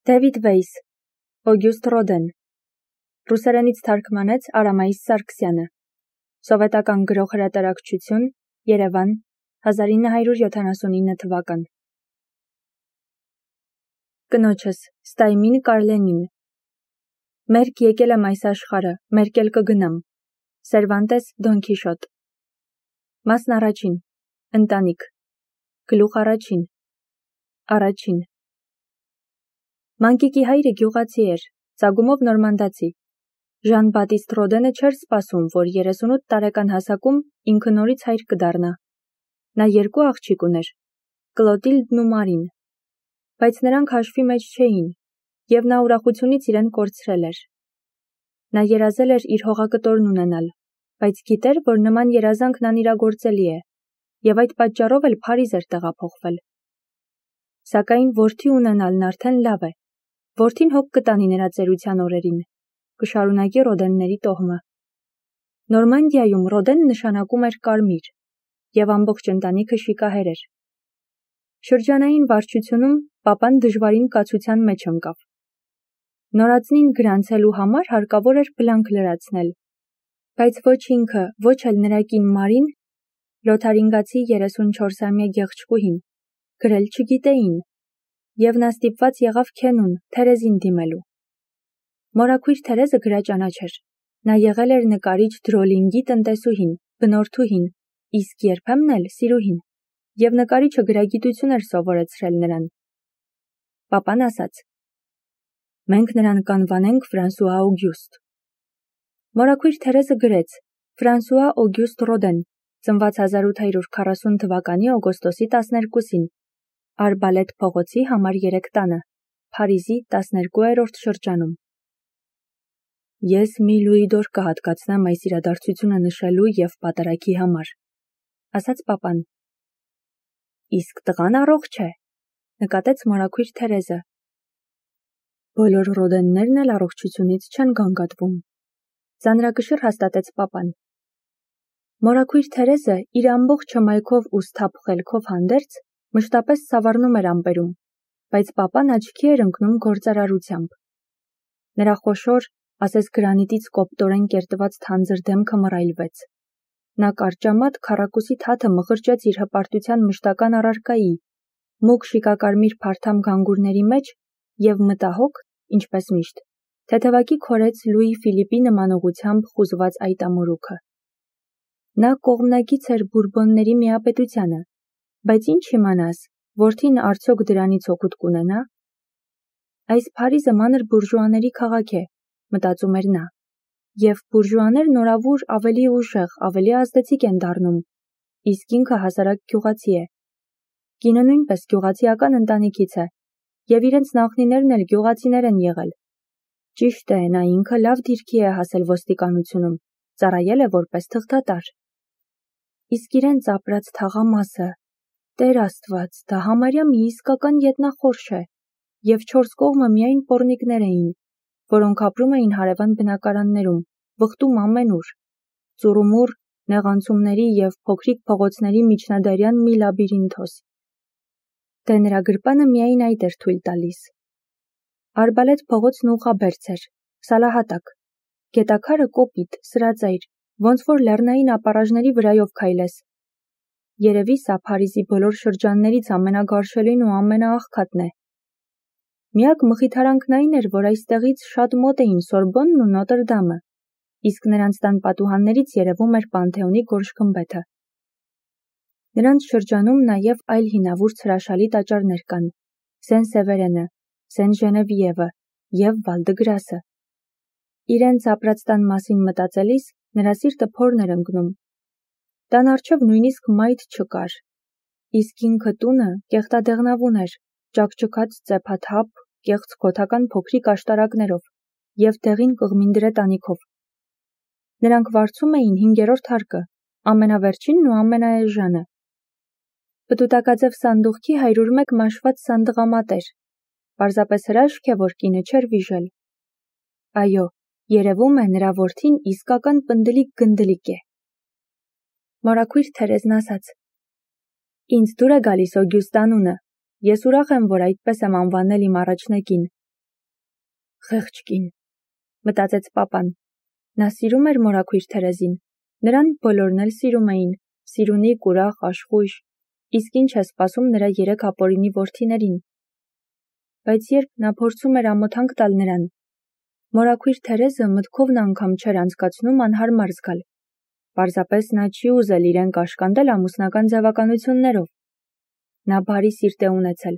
Դեվիդ Վեյս, Օգյուստ Ռոդեն, ռուսերենից թարգմանեց Արամայիս Սարգսյանը, սովետական գրող-հրատարակչություն, Երևան, 1979 թվական։ Կնոջս, Ստայմին Կարլենին։ Մերկ եկել եմ այս աշխարհը, մերկ էլ կգնամ։ Սերվանտես Դոն Քիշոտ։ Մասն առաջին, ընտանիք, գլուխ առաջին, առաջին։ Մանկիկի հայրը գյուղացի էր, ծագումով նորմանդացի։ Ժան Բատիստ Ռոդենը չէր սպասում, որ 38 տարեկան հասակում ինքը նորից հայր կդառնա։ Նա երկու աղջիկ ուներ, Կլոտիլդն ու Մարին, բայց նրանք հաշվի մեջ չէին, եւ նա ուրախությունից իրեն կորցրել էր։ Նա երազել էր իր հողակտորն ունենալ, բայց գիտեր, որ նման երազանքն անիրագործելի է, եւ այդ պատճառով էլ Փարիզ էր տեղափոխվել։ Սակայն որդի ունենալն արդեն լավ է։ Որդին հոգ կտանի նրա ծերության օրերին, կշարունակի Ռոդենների տոհմը։ Նորմանդիայում Ռոդեն նշանակում էր կարմիր, եւ ամբողջ ընտանիքը շիկահեր էր։ Շրջանային վարչությունում պապան դժվարին կացության մեջ ընկավ։ Նորածնին գրանցելու համար հարկավոր էր բլանկ լրացնել, բայց ոչ ինքը, ոչ էլ նրա կին Մարին, լոթարինգացի 34-ամյա գեղեցկուհին, գրել չգիտեին, եւ նա ստիպված եղավ Քենուն, Թերեզին դիմելու։ Մորաքույր Թերեզը գրաճանաչ էր։ Նա եղել էր նկարիչ Դրոլինգի տնտեսուհին, բնորդուհին, իսկ երբեմն էլ սիրուհին, եւ նկարիչը գրագիտություն էր սովորեցրել նրան։ Պապան ասաց. «Մենք նրան կանվանենք Ֆրանսուଆ Օգյուստ»։ Մորաքույր Թերեզը գրեց. Ֆրանսուଆ Օգյուստ Ռոդեն, ծնված 1840 թվականի օգոստոսի 12-ին, Արբալետ փողոցի համար 3 տանը, Փարիզի 12-րդ շրջանում։ Ես մի լուի դոր կհատկացնեմ այս իրադարձությունը նշելու եւ պատարագի համար, ասաց պապան։ Իսկ տղան առողջ է, նկատեց մորաքույր Թերեզը։ Բոլոր Ռոդեններն էլ առողջությունից չեն գանգատվում, ծանրակշիռ հաստատեց պապան։ Մորաքույր Թերեզը իր ամբողջ հմայքով ու սթափ խելքով հանդերձ մշտապես սավառնում էր ամպերում, բայց պապան աչքի էր ընկնում գործարարությամբ։ Նրա խոշոր, ասես գրանիտից կոպտորեն կերտված թանձր դեմքը մռայլվեց։ Նա կարճամատ քառակուսի թաթը մղրճեց իր հպարտության մշտական առարկայի, մուգ շիկակարմիր փարթամ գանգուրների մեջ եւ մտահոգ, ինչպես միշտ, թեթևակի քորեց Լուի Ֆիլիպի նմանողությամբ խուզված այդ ամորուքը։ Նա կողմնակից էր Բուրբոնների միապետությանը, բայց ինչ իմանաս, որդին արդյոք դրանից օգուտ կունենա։ Այս Փարիզը մանր բուրժուաների քաղաք է, մտածում էր նա, եւ բուրժուաներն օրավուր ավելի ուժեղ, ավելի ազդեցիկ են դառնում, իսկ ինքը հասարակ գյուղացի է։ Կինը նույնպես գյուղացիական ընտանիքից է, եւ իրենց նախնիներն էլ գյուղացիներ են եղել։ Ճիշտ է, նա ինքը լավ դիրքի է հասել ոստիկանությունում, ծառայել է որպես թղթատար։ Իսկ իրենց ապրած թաղամասը, Տեր Աստված, դա համարյա մի իսկական ետնախորշ է, եւ 4 կողմը միայն պոռնիկներ էին, որոնք ապրում էին հարևան բնակարաններում, վխտում ամենուր, ծուռումուռ, նեղանցումների եւ փոքրիկ փողոցների միջնադարյան մի լաբիրինթոս։ Դե նրա գրպանը միայն այդ էր թույլ տալիս։ Արբալետ փողոցն ուղղաբերձ էր, սալահատակ, գետաքարը կոպիտ, սրածայր, ոնց որ լեռնային ապառաժների վրայով քայլես։ Երևի սա Փարիզի բոլոր շրջաններից ամենագարշելին ու ամենաաղքատն է։ Միակ մխիթարանքն այն էր, որ այստեղից շատ մոտ էին Սորբոնն ու Նոտրդամը, իսկ նրանց տան պատուհաններից երևում էր Պանթեոնի գորշ-գմբեթը։ Նրանց շրջանում նաև այլ հինավուրց հրաշալի տաճարներ կան՝ Սեն-Սևերենը, Սեն-Ժենևիևը եւ Վալ-դը-Գրասը։ Իրենց ապրած տան մասին մտածելիս նրա սիրտը փորն էր ընկնում։ Տան առջև նույնիսկ մայթ չկար, իսկ ինքը տունը կեղտադեղնավուն էր, ճաքճքած ծեփաթափ, կեղծ գոթական փոքրիկ աշտարակներով եւ դեղին կղմինդրե տանիքով։ Նրանք վարձում էին 5-րդ հարկը, ամենավերջինն ու ամենաէժանը։ Պտուտակաձև սանդուղքի 101 մաշված սանդղամատ էր, պարզապես հրաշք է, որ կինը չէր վիժել։ Այո, երևում է նրա որդին իսկական պնդլիկ գնդլիկ է։ Մորաքույր Թերեզն ասաց. Ինձ դուր է գալիս Օգյուստ անունը, ես ուրախ եմ, որ այդպես եմ անվանել իմ առաջնեկին, Խեղճ կին, մտածեց պապան։ Նա սիրում էր մորաքույր Թերեզին, նրան բոլորն էլ սիրում էին, սիրունիկ, ուրախ, աշխույժ, իսկ ինչ է սպասում նրա 3 ապօրինի որդիներին։ Բայց երբ նա փորձում էր ամոթանք տալ նրան, մորաքույր Թերեզը մտքովն անգամ չէր անցկացնում անհարմար զգալ։ Պարզապես նա չի ուզել իրեն կաշկանդել ամուսնական ձևականություններով։ Նա բարի սիրտ է ունեցել,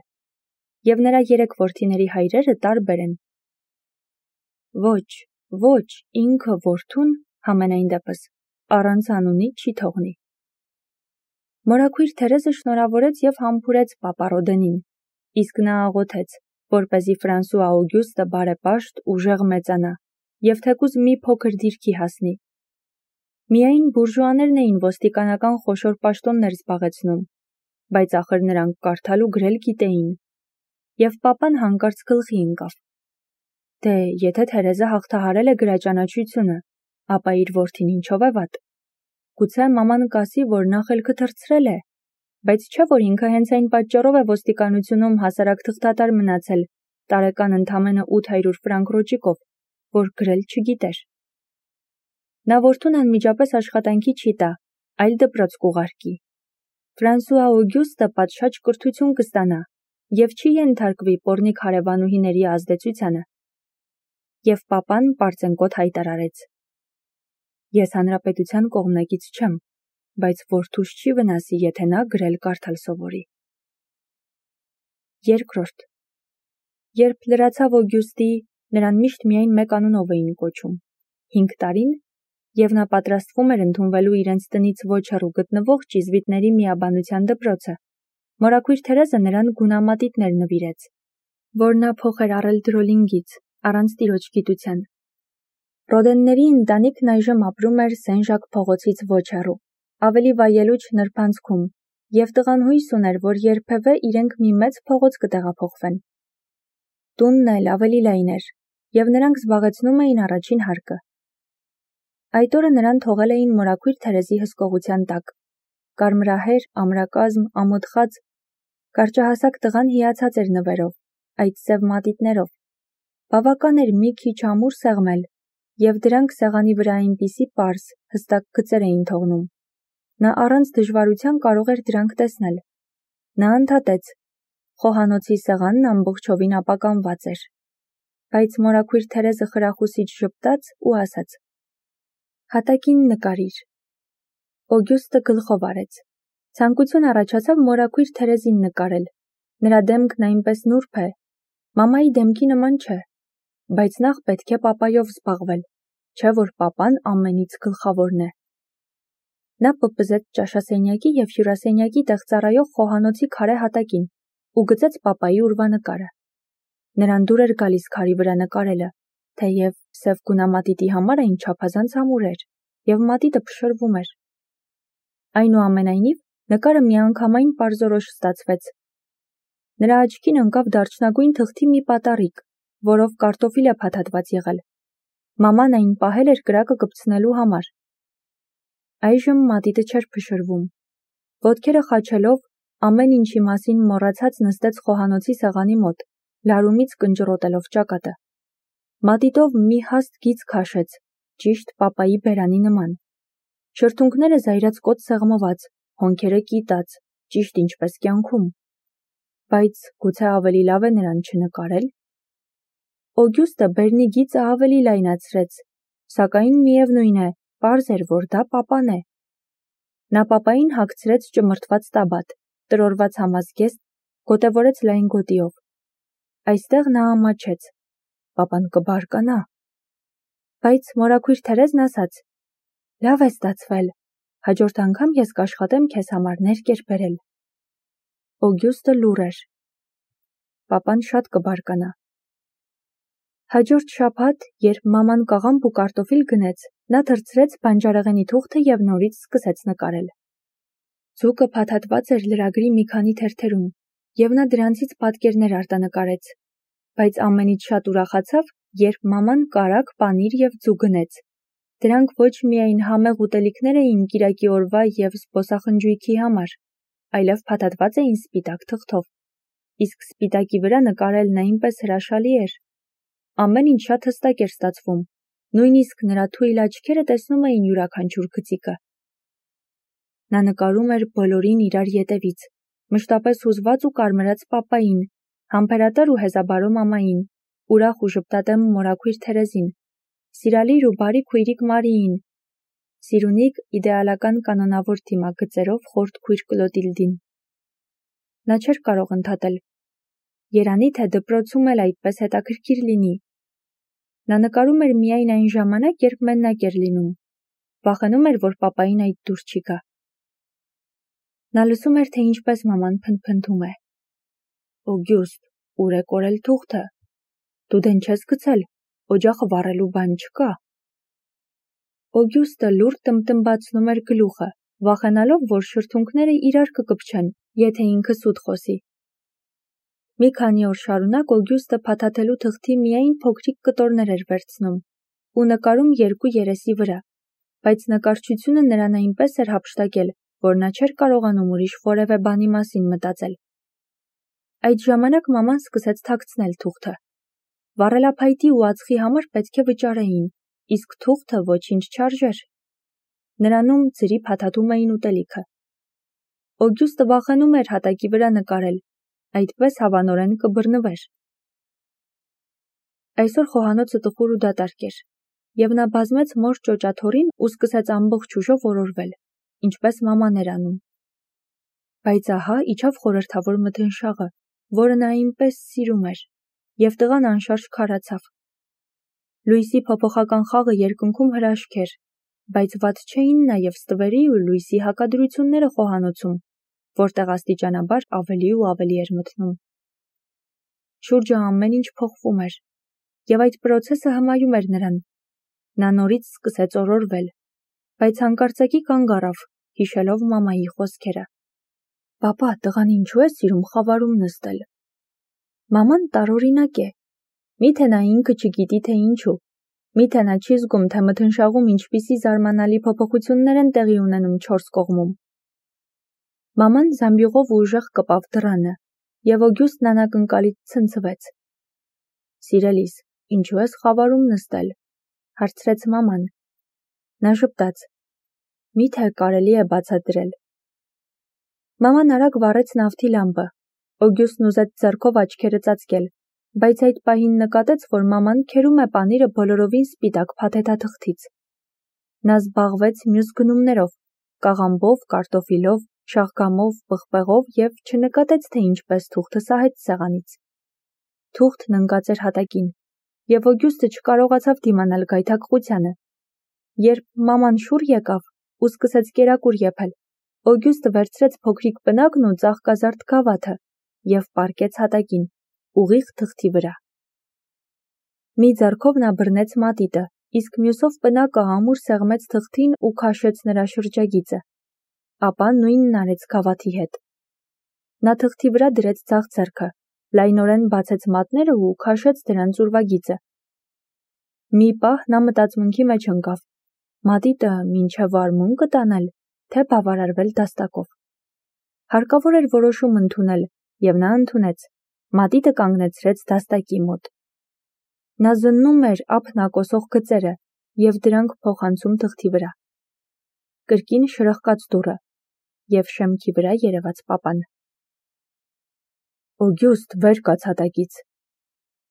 և նրա 3 որդիների հայրերը տարբեր են։ Ոչ, ինքը որդուն, համենայն դեպս, առանց անունի չի թողնի։ Մորաքույր Թերեզը շնորհավորեց և համբուրեց պապա Ռոդենին, իսկ նա աղոթեց, որպեսզի Ֆրանսուଆ Օգյուստը բարեպաշտ, ուժեղ մեծանա և թեկուզ մի փոքր դիրքի հասնի։ Միայն բուրժուաներն էին ոստիկանական խոշոր պաշտոններ զբաղեցնում, բայց ախր նրանք կարդալ ու գրել գիտեին, և պապան հանկարծ գլխի ընկավ. Դե, եթե Թերեզը հաղթահարել է գրաճանաչությունը, ապա իր որդին ինչով է վատ։ Գուցե մաման կասի, որ նա խելքը թռցրել է, բայց չէ՞ որ ինքը հենց այն պատճառով է ոստիկանությունում հասարակ թղթատար մնացել, տարեկան ընդամենը 800 ֆրանկ ռոճիկով, որ գրել չգիտեր։ Նա որդուն անմիջապես աշխատանքի չի տա, այլ դպրոց կուղարկի։ Ֆրանսուଆ Օգյուստը պատշաճ կրթություն կստանա և չի ենթարկվի պոռնիկ հարևանուհիների ազդեցությանը։ Եվ պապան պարծենկոտ հայտարարեց. Ես հանրապետության կողմնակից չեմ, բայց որդուս չի վնասի, եթե նա գրել-կարդալ սովորի։ Երկրորդ. Երբ լրացավ Օգյուստի, նրան միշտ միայն մեկ անունով էին կոչում՝ 5 տարին, և նա պատրաստվում էր ընդունվելու իրենց տնից ոչ հեռու գտնվող ճիզվիտների միաբանության դպրոցը, մորաքույր Թերեզը նրան գունամատիտներ նվիրեց, որ նա փոխ էր առել Դրոլինգից, առանց տիրոջ գիտության։ Ռոդենների ընտանիքն այժմ ապրում էր Սեն Ժակ փողոցից ոչ հեռու, ավելի վայելուչ նրբանցքում, և տղան հույս ուներ, որ երբևէ իրենք մի մեծ փողոց կտեղափոխվեն։ Տունն էլ ավելի լայն էր, և նրանք զբաղեցնում էին առաջին հարկը։ Այդ օրը նրան թողել էին մորաքույր Թերեզի հսկողության տակ։ Կարմրահեր, ամրակազմ, ամոթխած, կարճահասակ տղան հիացած էր նվերով, այդ սև մատիտներով։ Բավական էր մի քիչ ամուր սեղմել, և դրանք սեղանի վրա այնպիսի պարզ, հստակ գծեր էին թողնում։ Նա առանց դժվարության կարող էր դրանք տեսնել։ Նա ընդհատեց. խոհանոցի սեղանն ամբողջովին ապականված էր։ Բայց մորաքույր Թերեզը խրախուսիչ ժպտաց ու ասաց. հատակին նկարիր։ Օգյուստը գլխով արեց։ Ցանկություն առաջացավ մորաքույր Թերեզին նկարել։ Նրա դեմքն այնպես նուրբ է, մամայի դեմքի նման չէ, բայց նախ պետք է պապայով զբաղվել, չէ՞ որ պապան ամենից գլխավորն է։ Նա պպզեց ճաշասենյակի և հյուրասենյակի տեղ ծառայող խոհանոցի քարե հատակին ու գծեց պապայի ուրվանկարը։ Նրան դուր էր գալիս քարի վրա նկարելը, թեև սև գունամատիտի համար այն չափազանց ամուր էր, և մատիտը փշրվում էր։ Այնուամենայնիվ, նկարը միանգամայն պարզորոշ ստացվեց։ Նրա աչքին ընկավ դարչնագույն թղթի մի պատառիկ, որով կարտոֆիլ է փաթաթված եղել։ Մաման այն պահել էր կրակը կպցնելու համար։ Այժմ մատիտը չէր փշրվում։ Ոտքերը խաչելով, ամեն ինչի մասին մոռացած նստեց խոհանոցի սեղանի մոտ, լարումից կնճռոտելով ճակատը։ Մատիտով մի հաստ գիծ քաշեց, ճիշտ պապայի բերանի նման։ Շրթունքները զայրացկոտ սեղմված, հոնքերը կիտած, ճիշտ ինչպես կյանքում։ Բայց գուցե ավելի լավ է նրան չնկարել։ Օգյուստը բերնի գիծը ավելի լայնացրեց, սակայն միևնույն է, պարզ էր, որ դա պապան է։ Նա պապային հագցրեց ճմրթված տաբատ, տրորված համազգեստ, գոտևորեց լայն գոտիով։ Այստեղ նա ամաչեց. պապան կբարկանա։ Բայց մորաքույր Թերեզն ասաց. լավ է ստացվել, հաջորդ անգամ ես կաշխատեմ քեզ համար ներկեր բերել։ Օգյուստը լուռ էր։ Պապան շատ կբարկանա։ Հաջորդ շաբաթ, երբ մաման կաղամբ ու կարտոֆիլ գնեց, նա թռցրեց բանջարեղենի թուղթը և նորից սկսեց նկարել։ Ձուկը փաթաթված էր լրագրի մի քանի թերթերում, և նա դրանցից պատկերներ արտանկարեց։ Բայց ամենից շատ ուրախացավ, երբ մաման կարագ, պանիր և ձու գնեց։ Դրանք ոչ միայն համեղ ուտելիքներ էին կիրակի օրվա և զբոսախնջույքի համար, այլև փաթաթված էին սպիտակ թղթով։ Իսկ սպիտակի վրա նկարելն այնպես հրաշալի էր։ Ամեն ինչ շատ հստակ էր ստացվում, նույնիսկ նրա թույլ աչքերը տեսնում էին յուրաքանչյուր գծիկը։ Նա նկարում էր բոլորին իրար ետևից, մշտապես հուզված ու կարմրած պապային, համբերատար ու հեզաբարո մամային, ուրախ ու ժպտատեմ մորաքույր Թերեզին, սիրալիր ու բարի քույրիկ Մարիին, սիրունիկ իդեալական կանոնավոր դիմագծերով խորտ քույր Կլոտիլդին։ Նա չէր կարող ընդհատել. երանի թե դպրոցում էլ այդպես հետաքրքիր լինի։ Նա նկարում էր միայն այն ժամանակ, երբ մենակ էր լինում, վախենում էր, որ պապային այդ դուր չի գա։ Նա լսում էր, թե ինչպես մաման փնթփնթում է. Օգյուստ, ուր է կորել թուղթը։ Դու դեն չես գցել, օջախը վառելու բան չկա։ Օգյուստը լուր տմտմբացնում էր գլուխը, վախենալով, որ շրթունքները իրար կկպչեն, եթե ինքը սուտ խոսի։ Մի քանի օր շարունակ Օգյուստը փաթաթելու թղթի միայն փոքրիկ կտորներ էր վերցնում ու նկարում երկու երեսի վրա, բայց նկարչությունը նրան այնպես էր հափշտակել, որ նա չէր կարողանում ուրիշ որևէ բանի մասին մտածել։ Այդ ժամանակ մաման սկսեց թաքցնել թուղթը։ Վառելափայտի ու ածխի համար պետք է վճարեին, իսկ թուղթը ոչինչ չարժեր։ Նրանում ձրի փաթաթում էին ուտելիքը։ Օգյուստը վախենում էր հատակի վրա նկարել, այդպես հավանորեն կբռնվեր։ Այսօր խոհանոցը տխուր ու դատարկ էր, և նա բազմեց մոր ճոճաթոռին ու սկսեց ամբողջ ուժով օրորվել, ինչպես մաման էր անում։ Բայց ահա իջավ խորհրդավոր մթնշաղը, որը նա այնպես սիրում էր, և տղան անշարժ քարացավ։ Լույսի փոփոխական խաղը երկնքում հրաշք էր, բայց վատ չէին նաև ստվերի ու լույսի հակադրությունները խոհանոցում, որտեղ աստիճանաբար ավելի ու ավելի էր մթնում։ Շուրջը ամեն ինչ փոխվում էր, և այդ պրոցեսը հմայում էր նրան։ Նա նորից սկսեց օրորվել, բայց հանկարծակի կանգ առավ, հիշելով մամայի խոսքերը. «Պապա, տղան ինչու է սիրում խավարում նստել»։ Մաման տարօրինակ է։ Միթե նա ինքը չգիտի, թե ինչու։ Միթե նա չի զգում, թե մթնշաղում ինչպիսի զարմանալի փոփոխություններ են տեղի ունենում չորս կողմում։ Մաման զամբյուղով ուժեղ կպավ դռանը, և Օգյուստն անակնկալից ցնցվեց։ «Սիրելիս, ինչու ես խավարում նստել», հարցրեց մաման։ Նա ժպտաց. «Միթե կարելի է բացատրել»։ Մաման արագ վառեց նավթի լամպը։ Օգյուստն ուզեց ձեռքով աչքերը ծածկել, բայց այդ պահին նկատեց, որ մաման քերում է պանիրը բոլորովին սպիտակ փաթեթաթղթից։ Նա զբաղվեց մյուս գնումներով՝ կաղամբով, կարտոֆիլով, շաղգամով, պղպեղով և չնկատեց, թե ինչպես թուղթը սահեց սեղանից։ Թուղթն ընկած էր հատակին, և Օգյուստը չկարողացավ դիմանալ գայթակղությանը։ Երբ մաման շուռ եկավ ու սկսեց կերակուր եփել, Օգյուստը վերցրեց փոքրիկ պնակն ու ծաղկազարդ գավաթը և պառկեց հատակին, ուղիղ թղթի վրա։ Մի ձեռքով նա բռնեց մատիտը, իսկ մյուսով պնակը ամուր սեղմեց թղթին ու քաշեց նրա շրջագիծը։ Ապա նույնն արեց գավաթի հետ։ Նա թղթի վրա դրեց ձախ ձեռքը, լայնորեն բացեց մատները ու քաշեց դրանց ուրվագիծը։ Մի պահ նա մտածմունքի մեջ ընկավ. մատիտը մինչև արմուն կտանել, թե բավարարվել դաստակով։ Հարկավոր էր որոշում ընդունել, և նա ընդունեց, մատիտը կանգնեցրեց դաստակի մոտ։ Նա զննում էր ափնակոսող գծերը և դրանք փոխանցում թղթի վրա։ Կրկին շրխկաց դուռը, և շեմքի վրա երևաց պապան։ «Օգյուստ, վեր կաց հատակից»։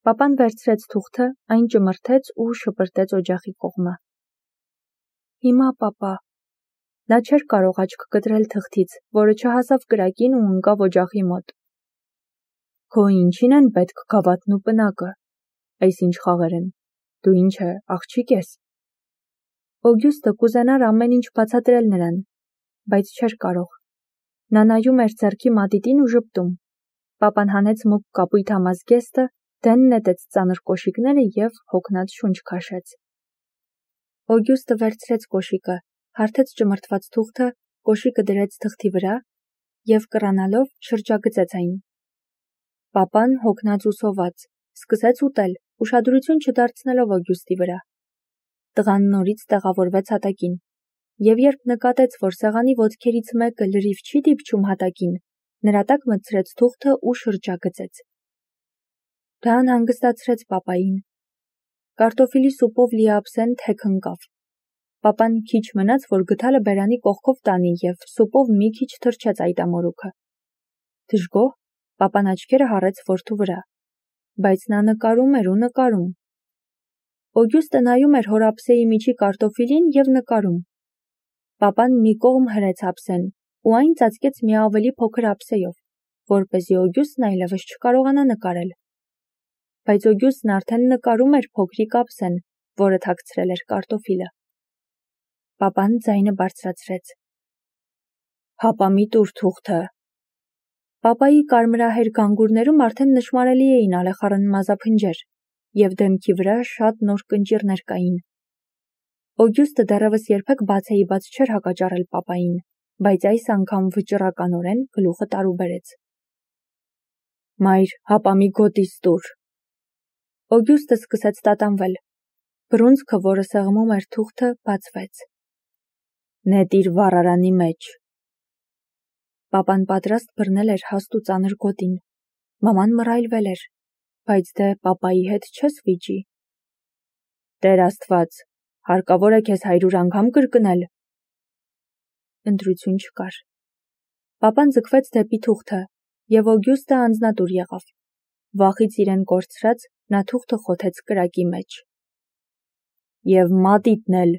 Պապան վերցրեց թուղթը, այն ճմրթեց ու շպրտեց օջախի կողմը։ «Հիմա, պապա»։ Նա չէր կարող աչք կտրել թղթից, որը չհասավ կրակին ու ընկավ օջախի մոտ։ «Քո ինչին են պետք գավաթն ու պնակը։ Այս ինչ խաղեր են։ Դու ինչ է, աղջիկ ես»։ Օգյուստը կուզենար ամեն ինչ բացատրել նրան, բայց չէր կարող։ Նա նայում էր ձեռքի մատիտին ու ժպտում։ Պապան հանեց մուգ կապույտ համազգեստը, դեն նետեց ծանր կոշիկները և հոգնած շունչ քաշեց։ Օգյուստը վերցրեց կոշիկը, հարթեց ճմրթված թուղթը, կոշիկը դրեց թղթի վրա և կռանալով շրջագծեց այն։ Պապան, հոգնած ու սոված, սկսեց ուտել, ուշադրություն չդարձնելով Օգյուստի վրա։ Տղան նորից տեղավորվեց հատակին, և երբ նկատեց, որ սեղանի ոտքերից մեկը լրիվ չի դիպչում հատակին, նրա տակ մտցրեց թուղթը ու շրջագծեց։ Դա անհանգստացրեց պապային, Կարտոֆիլի սուպով լի ափսեն թեք ընկավ։ Պապան քիչ մնաց, որ գդալը բերանի կողքով տանի և սուպով մի քիչ թրջեց այդ ամորուքը։ Դժգոհ, պապան աչքերը հառեց որդու վրա, բայց նա նկարում էր ու նկարում։ Օգյուստը նայում էր հոր ափսեի միջի կարտոֆիլին և նկարում։ Պապան մի կողմ հրեց ափսեն ու այն ծածկեց մի ավելի փոքր ափսեյով, որպեսզի Օգյուստն այլևս չկարողանա նկարել։ Բայց Օգյուստն արդեն նկարում էր փոքրիկ ափսեն, որը թաքցրել էր կարտոֆիլը։ Պապան ձայնը բարձրացրեց. «Հապա մի տուր թուղթը»։ Պապայի կարմրահեր գանգուրներում արդեն նշմարելի էին ալեխառն մազափնջեր, և դեմքի վրա շատ նոր կնճիռներ կային։ Օգյուստը դեռևս երբեք բացեիբաց չէր հակաճառել պապային, բայց այս անգամ վճռականորեն գլուխը տարուբերեց։ «Մայր, հապա մի գոտիս տուր»։ Օգյուստը սկսեց տատանվել։ Բռունցքը, որը սեղմում էր թուղթը, բացվեց։ «Նետիր վառարանի մեջ»։ Պապան պատրաստ բռնել էր հաստ ու ծանր գոտին։ Մաման մռայլվել էր, բայց դե պապայի հետ չես վիճի։ Տեր Աստված, հարկավոր է քեզ 100 անգամ կրկնել։ Ընտրություն չկար։ Պապան ձգվեց դեպի թուղթը, և Օգյուստը անձնատուր եղավ։ Վախից իրեն կորցրած, նա թուղթը խոթեց կրակի մեջ։ Եվ մատիտն էլ,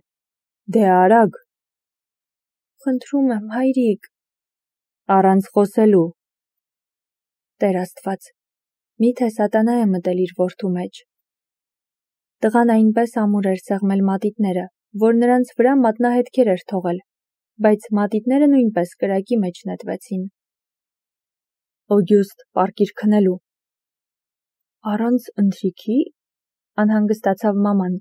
դե արագ։ Խնդրում եմ, հայրիկ։ Առանց խոսելու։ Տեր Աստված, միթե սատանա է մտել իր որդու մեջ։ Տղան այնպես ամուր էր սեղմել մատիտները, որ նրանց վրա մատնահետքեր էր թողել, բայց մատիտները նույնպես կրակի մեջ նետվեցին։ Օգյուստ, պառկիր քնելու։ Առանց ընթրիքի, անհանգստացավ մաման։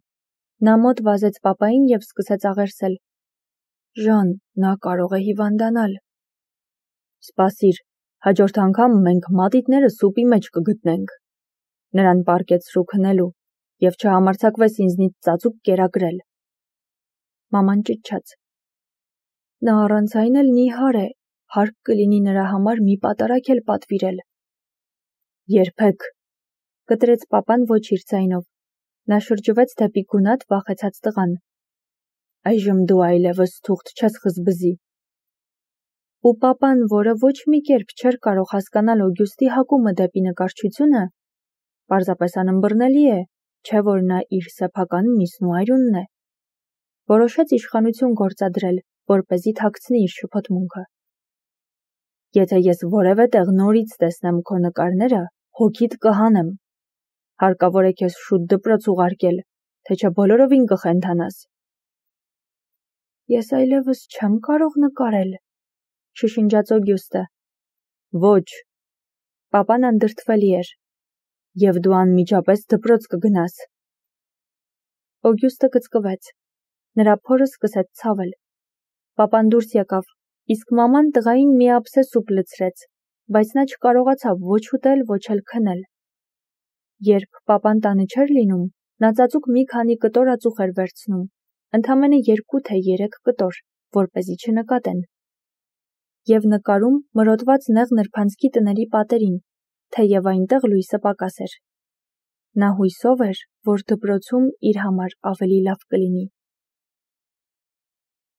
Նա մոտ վազեց պապային և սկսեց աղերսել։ Ժան, նա կարող է հիվանդանալ։ Սպասիր, հաջորդ անգամ մենք մատիտները սուպի մեջ կգտնենք։ Նրան պառկեցրու քնելու և չհամարձակվես ինձնից ծածուկ կերակրել։ Մաման ճչաց։ Նա առանց այն էլ նիհար է, հարկ կլինի նրա համար մի պատարագ էլ պատվիրել։ Երբեք, կտրեց պապան ոչ իր ձայնով։ Նա շրջվեց դեպի գունատ վախեցած տղան։ Այժմ դու այլևս թուղթ չես խզբզի։ Ու պապան, որը ոչ մի կերպ չէր կարող հասկանալ Օգյուստի հակումը դեպի նկարչությունը, պարզապես անըմբռնելի է, չէ որ նա իր սեփական միսն ու այրունն է, որոշեց իշխանություն գործադրել, որպեսզի թաքցնի իր շփոթմունքը։ Եթե ես որևէ տեղ նորից տեսնեմ քո նկարները, հոգիդ կհանեմ։ Հարկավոր է քեզ շուտ դպրոց ուղարկել, թե չէ բոլորովին կխենթանաս։ Ես այլևս չեմ կարող նկարել, շշնջաց Օգյուստը։ Ոչ, պապան անդրդվելի էր, և դու անմիջապես դպրոց կգնաս։ Օգյուստը կծկվեց, նրա փորը սկսեց ցավել։ Պապան դուրս եկավ, իսկ մաման տղային մի ափսե սուպ լցրեց, բայց նա չկարողացավ ոչ ուտել, ոչ էլ քնել։ Երբ պապան տանը չէր լինում, նա ծածուկ մի քանի կտոր ածուխ էր վերցնում, ընդամենը 2 թե 3 կտոր, որպեսզի չնկատեն։ Եվ նկարում մրոտված նեղ նրբանցքի տների պատերին, թեև այնտեղ լույսը պակաս էր։ Նա հույսով էր, որ դպրոցում իր համար ավելի լավ կլինի։